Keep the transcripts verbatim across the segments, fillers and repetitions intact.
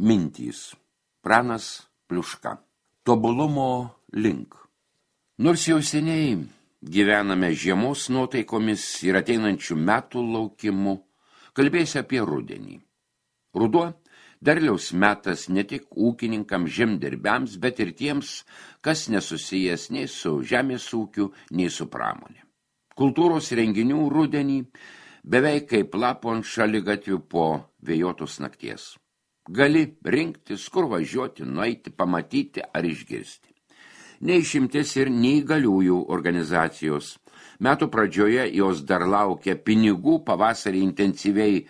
Mintys. Pranas Pliuška. Tobulumo link. Nors jau seniai gyvename žiemos nuotaikomis ir ateinančių metų laukimu, kalbėsiu apie rudenį. Ruduo derliaus metas ne tik ūkininkams, žemdirbiams, bet ir tiems, kas nesusijęs nei su žemės ūkiu, nei su pramonė. Kultūros renginių rudenį beveik kaip lapo ant šaligatvių po vėjuotos nakties. Gali rinktis, kur važiuoti, nueiti, pamatyti ar išgirsti. Neišimtis ir neįgaliųjų organizacijos. Metų pradžioje jos dar laukia pinigų, pavasarį intensyviai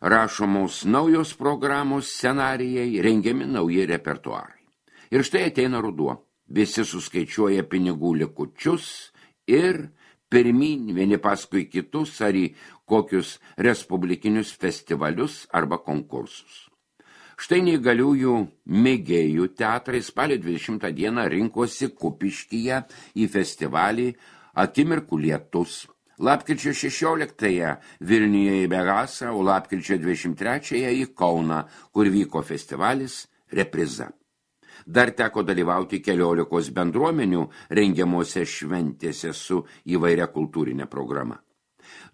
rašomos naujos programos, scenarijai, rengiami nauji repertuarai. Ir štai ateina ruduo. Visi suskaičiuoja pinigų likučius ir pirmyn vieni paskui kitus ar į kokius respublikinius festivalius arba konkursus. Štai neįgaliųjų mėgėjų teatrai spalio dvidešimtą dieną rinkosi Kupiškyje į festivalį Akimirkų lietus. Lapkričio šešioliktąją Vilniuje į Begasą, o lapkričio dvidešimt trečiąją į Kauną, kur vyko festivalis Repriza. Dar teko dalyvauti keliolikos bendruomenių rengiamose šventėse su įvairia kultūrinė programa.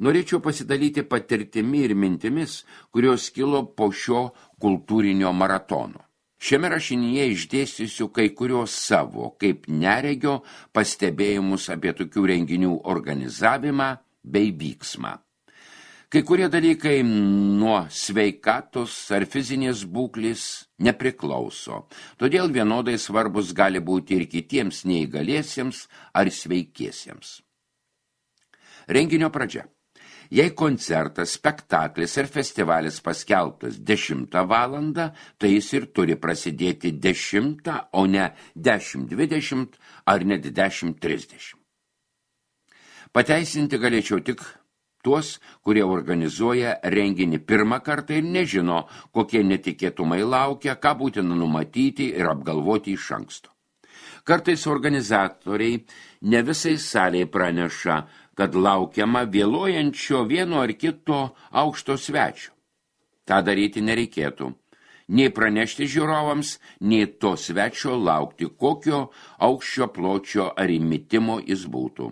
Norėčiau pasidalyti patirtimi ir mintimis, kurios kilo po šio kultūrinio maratono. Šiame rašinyje išdėstysiu kai kurios savo, kaip neregio, pastebėjimus apie tokių renginių organizavimą bei vyksmą. Kai kurie dalykai nuo sveikatos ar fizinės būklės nepriklauso, todėl vienodai svarbus gali būti ir kitiems neįgaliesiems ar sveikiesiems. Renginio pradžia. Jei koncertas, spektaklis ar festivalis paskelbtas dešimtą valandą, tai jis ir turi prasidėti dešimtą, o ne dešimt dvidešimt ar net dešimt trisdešimt. Pateisinti galėčiau tik tuos, kurie organizuoja renginį pirmą kartą ir nežino, kokie netikėtumai laukia, ką būtina numatyti ir apgalvoti iš anksto. Kartais organizatoriai ne visai salėje praneša, kad laukiama vėluojančio vieno ar kito aukšto svečio. Ta daryti nereikėtų. Nei pranešti žiūrovams, nei to svečio laukti, kokio aukščio pločio ar įmitimo jis būtų.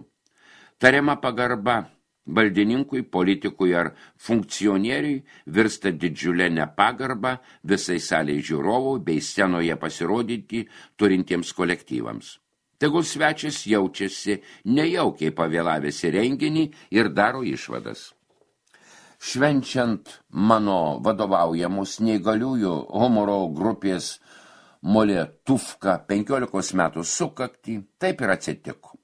Tariama pagarba valdininkui, politikui ar funkcionieriui virsta didžiulė nepagarba visai salei žiūrovų bei scenoje pasirodyti turintiems kolektyvams. Tegul svečias jaučiasi nejaukiai pavėlavęs į renginį ir daro išvadas. Švenčiant mano vadovaujamus neįgaliųjų humoro grupės Molėtuvka penkiolikos metų sukaktį, taip ir atsitiko.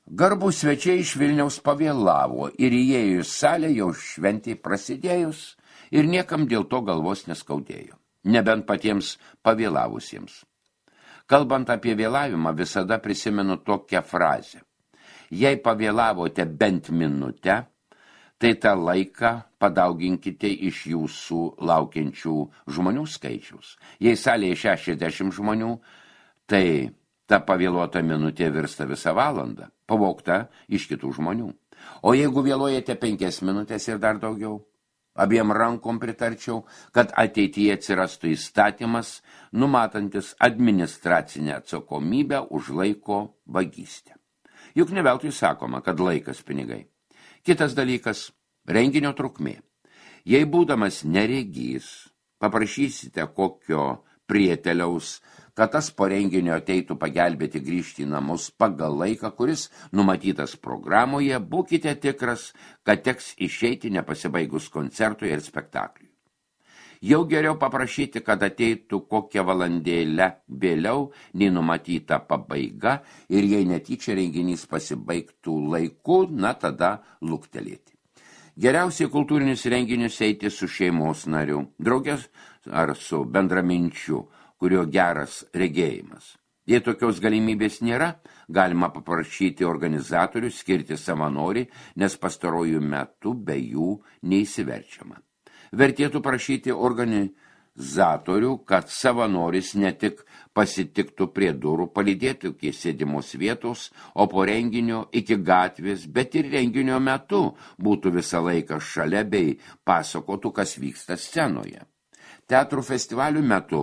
Garbų svečiai iš Vilniaus pavėlavo ir įėjus salę jau šventė prasidėjus ir niekam dėl to galvos neskaudėjo, nebent patiems pavėlavusiems. Kalbant apie vėlavimą, visada prisimenu tokią frazę. Jei pavėlavote bent minutę, tai tą laiką padauginkite iš jūsų laukiančių žmonių skaičiaus. Jei salėje šešiasdešimt žmonių, tai ta pavėluota minutė virsta visą valandą, pavogta iš kitų žmonių. O jeigu vėluojate penkias minutės ir dar daugiau, abiem rankom pritarčiau, kad ateityje atsirastų įstatymas, numatantis administracinę atsakomybę už laiko vagystę. Juk ne veltui sakoma, kad laikas pinigai. Kitas dalykas – renginio trukmė. Jei būdamas neregys, paprašysite kokio prieteliaus, kad tas po renginio ateitų pagelbėti grįžti į namus pagal laiką, kuris numatytas programoje, būkite tikras, kad teks išeiti nepasibaigus koncertui ir spektakliui. Jau geriau paprašyti, kad ateitų kokią valandėlę vėliau nei numatyta pabaiga ir jei netyčia renginys pasibaigtų laiku, na tada luktelėti. Geriausiai kultūrinius renginius eiti su šeimos nariu, draugės ar su bendraminčiu, kurio geras regėjimas. Jei tokios galimybės nėra, galima paprašyti organizatorių skirti savanorį, nes pastarojų metų be jų neįsiverčiama. Vertėtų prašyti organizatorių, kad savanoris ne tik pasitiktų prie durų, palydėtų iki sėdimos vietos, o po renginio iki gatvės, bet ir renginio metu būtų visą laiką šalia bei pasakotų, kas vyksta scenoje. Teatrų festivalių metu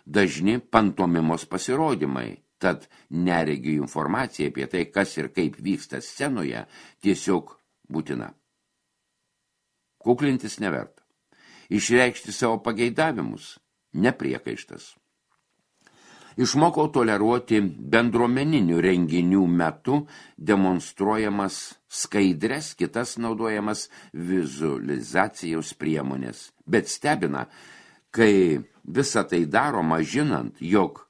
dažni pantomimos pasirodymai, tad neregių informacija apie tai, kas ir kaip vyksta scenoje, tiesiog būtina. Kuklintis neverta. Išreikšti savo pageidavimus nepriekaištas. Išmokau toleruoti bendruomeninių renginių metu demonstruojamas skaidres, kitas naudojamas vizualizacijos priemonės. Bet stebina, kai visa tai daroma žinant, jog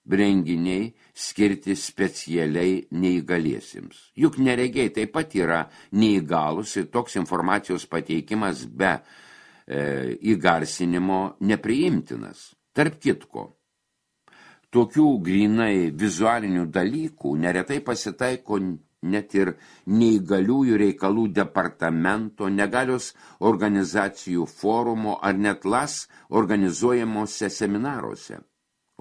renginiai skirti specialiai neįgaliesiems. Juk neregiai taip pat yra neįgalus ir toks informacijos pateikimas be e, įgarsinimo nepriimtinas. Tarp kitko, tokių grynai vizualinių dalykų neretai pasitaiko net ir neįgaliųjų reikalų departamento, negalios organizacijų forumo ar net las organizuojamuose seminaruose.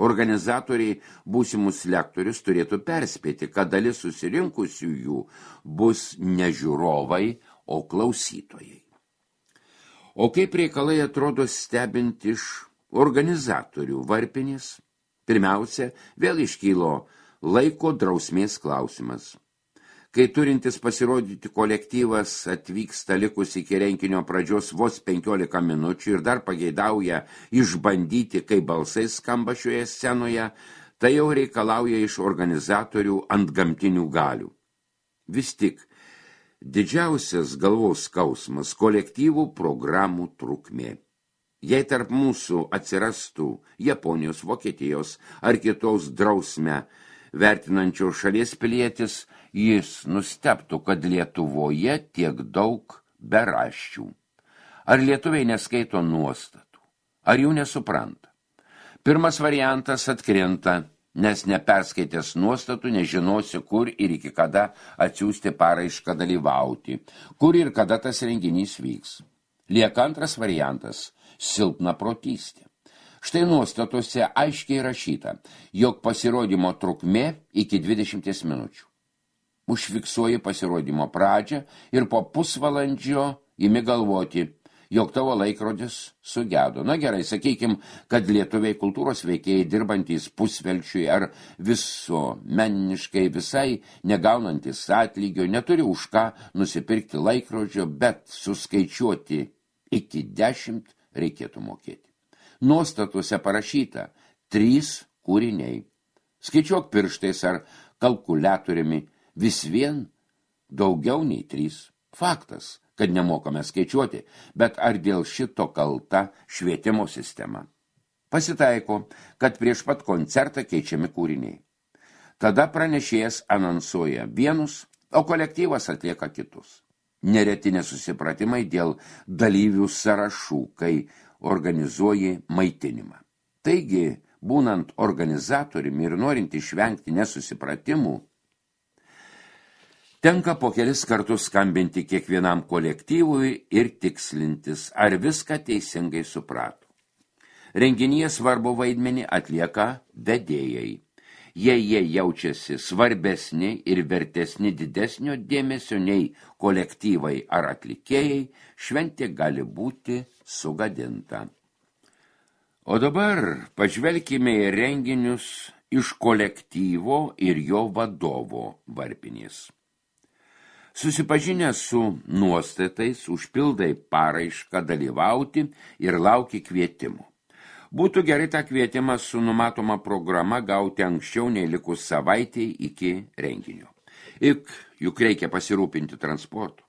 Organizatoriai būsimus lektorius turėtų perspėti, kad dalis susirinkusiųjų bus ne žiūrovai, o klausytojai. O kaip reikalai atrodo stebint iš organizatorių varpinės? Pirmiausia, vėl iškylo laiko drausmės klausimas. Kai turintis pasirodyti kolektyvas atvyksta likus iki renginio pradžios vos penkiolika minučių ir dar pageidauja išbandyti, kaip balsai skamba šioje scenoje, tai jau reikalauja iš organizatorių antgamtinių galių. Vis tik, didžiausias galvos skausmas kolektyvų programų trukmė. Jei tarp mūsų atsirastų Japonijos, Vokietijos ar kitos drausmę vertinančios šalies pilietis, jis nustebtų, kad Lietuvoje tiek daug beraščių. Ar lietuviai neskaito nuostatų? Ar jų nesupranta? Pirmas variantas atkrinta, nes neperskaitęs nuostatų nežinosi, kur ir iki kada atsiųsti paraišką dalyvauti, kur ir kada tas renginys vyks. Lieka antras variantas – silpna protystė. Štai nuostatose aiškiai rašyta, jog pasirodymo trukmė iki dvidešimties minučių. Užfiksuoji pasirodymo pradžią ir po pusvalandžio imi galvoti, jog tavo laikrodis sugedo. Na gerai, sakykim, kad lietuviai kultūros veikėjai dirbantys pusvelčiui ar visuomeniškai visai negaunantis atlygio, neturi už ką nusipirkti laikrodžio, bet suskaičiuoti iki dešimt reikėtų mokėti. Nuostatuose parašyta trys kūriniai. Skaičiuok pirštais ar kalkuliatoriumi, vis vien daugiau nei trys. Faktas, kad nemokame skaičiuoti, bet ar dėl šito kalta švietimo sistema? Pasitaiko, kad prieš pat koncertą keičiami kūriniai. Tada pranešėjas anonsuoja vienus, o kolektyvas atlieka kitus. Nereti nesusipratimai dėl dalyvių sąrašų, kai organizuoji maitinimą. Taigi, būnant organizatoriumi ir norint išvengti nesusipratimų, tenka po kelis kartus skambinti kiekvienam kolektyvui ir tikslintis, ar viską teisingai suprato. Renginyje svarbu vaidmenį atlieka vedėjai. Jei jie jaučiasi svarbesni ir vertesni didesnio dėmesio nei kolektyvai ar atlikėjai, šventė gali būti sugadinta. O dabar pažvelkime į renginius iš kolektyvo ir jo vadovo varpinės. Susipažinę su nuostatais, užpildai paraišką dalyvauti ir lauki kvietimo. Būtų gerai tą kvietimą su numatoma programa gauti anksčiau nei likus savaitei iki renginio. Ik, juk reikia pasirūpinti transportu.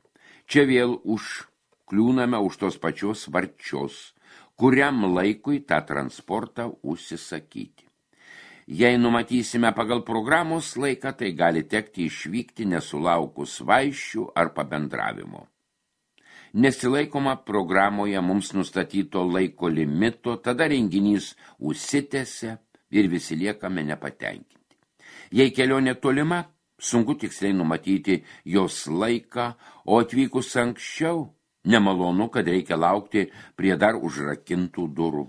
Čia vėl užkliūname už tos pačios varčios, kuriam laikui tą transportą užsisakyti. Jei numatysime pagal programos laiką, tai gali tekti išvykti nesulaukus vaišių ar pabendravimo. Nesilaikoma programoje mums nustatyto laiko limito, tada renginys užsitęsia ir visi liekame nepatenkinti. Jei kelionė tolima, sunku tiksliai numatyti jos laiką, o atvykus anksčiau, nemalonu, kad reikia laukti prie dar užrakintų durų.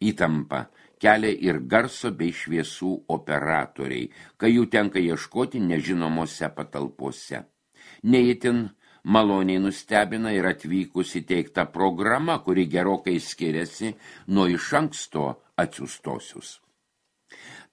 Įtampa kelia ir garso bei šviesų operatoriai, kai jų tenka ieškoti nežinomose patalpose. Neįtin maloniai nustebina ir atvykus įteikta programa, kuri gerokai skiriasi nuo iš anksto atsiųstosius.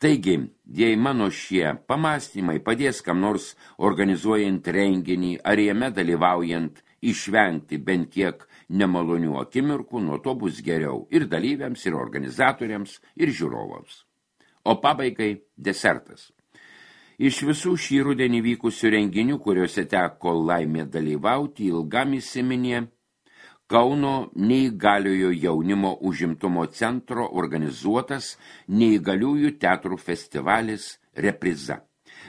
Taigi, jei mano šie pamąstymai padės kam nors organizuojant renginį ar jame dalyvaujant išvengti bent kiek nemalonių akimirkų, nuo to bus geriau ir dalyviams, ir organizatoriams, ir žiūrovams. O pabaigai desertas. Iš visų šį rudenį vykusių renginių, kuriuose teko laimė dalyvauti, ilgam įsiminė Kauno neįgaliojo jaunimo užimtumo centro organizuotas neįgaliųjų teatrų festivalis Repriza.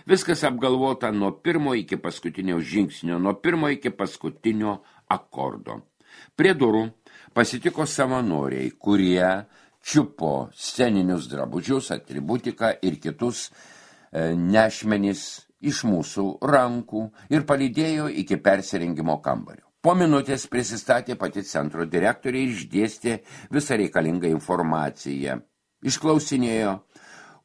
Viskas apgalvota nuo pirmo iki paskutinio žingsnio, nuo pirmo iki paskutinio akordo. Prie durų pasitiko savanoriai, kurie čiupo sceninius drabužius, atributiką ir kitus e, nešmenis iš mūsų rankų ir palydėjo iki persirengimo kambario. Po minutės prisistatė pati centro direktorė ir išdėstė visą reikalingą informaciją. Išklausinėjo,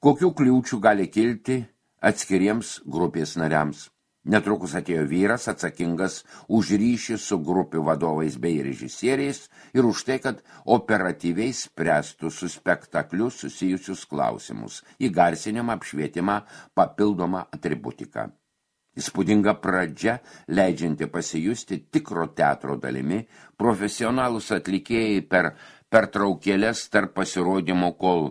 kokių kliūčių gali kilti atskiriems grupės nariams. Netrukus atėjo vyras atsakingas už ryšį su grupių vadovais bei režisieriais ir už tai, kad operatyviai spręstų su spektakliu susijusius klausimus, įgarsinimą, apšvietimą, papildomą atributiką. Įspūdinga pradžia, leidžianti pasijusti tikro teatro dalimi, profesionalūs atlikėjai per pertraukėlės tarp pasirodymų, kol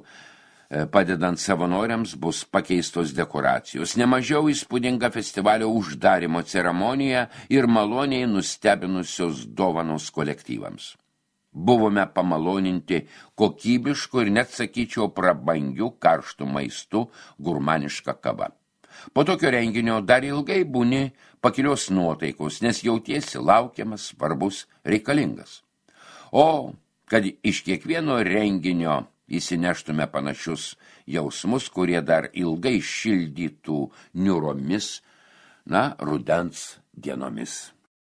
padedant savanoriams bus pakeistos dekoracijos. Nemažiau įspūdinga festivalio uždarimo ceremonija ir maloniai nustebinusios dovanos kolektyvams. Buvome pamaloninti kokybišku ir net sakyčiau prabangiu karštų maistu, gurmaniška kava. Po tokio renginio dar ilgai būni pakilios nuotaikos, nes jautiesi laukiamas, svarbus, reikalingas. O kad iš kiekvieno renginio įsineštume panašius jausmus, kurie dar ilgai šildytų niūromis, na, rudens dienomis.